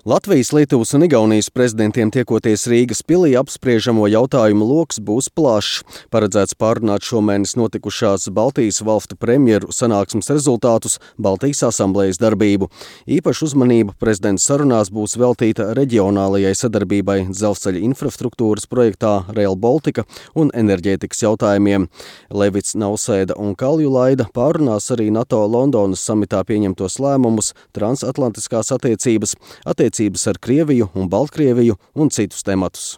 Latvijas, Lietuvas un Igaunijas prezidentiem tiekoties Rīgas pilī apspriežamo jautājumu loks būs plašs. Paredzēts pārunāt šomēnes notikušās Baltijas valstu premjeru sanāksmes rezultātus, Baltijas asamblējas darbību. Īpaša uzmanība prezidenta sarunās būs veltīta reģionālajai sadarbībai dzelzceļa infrastruktūras projektā Rail Baltica un enerģētikas jautājumiem. Levits, Nausēda un Kaljulaida pārunās arī NATO Londonas samitā pieņemtos lēmumus, transatlantiskās attiecības ar Krieviju un Baltkrieviju un citus tematus.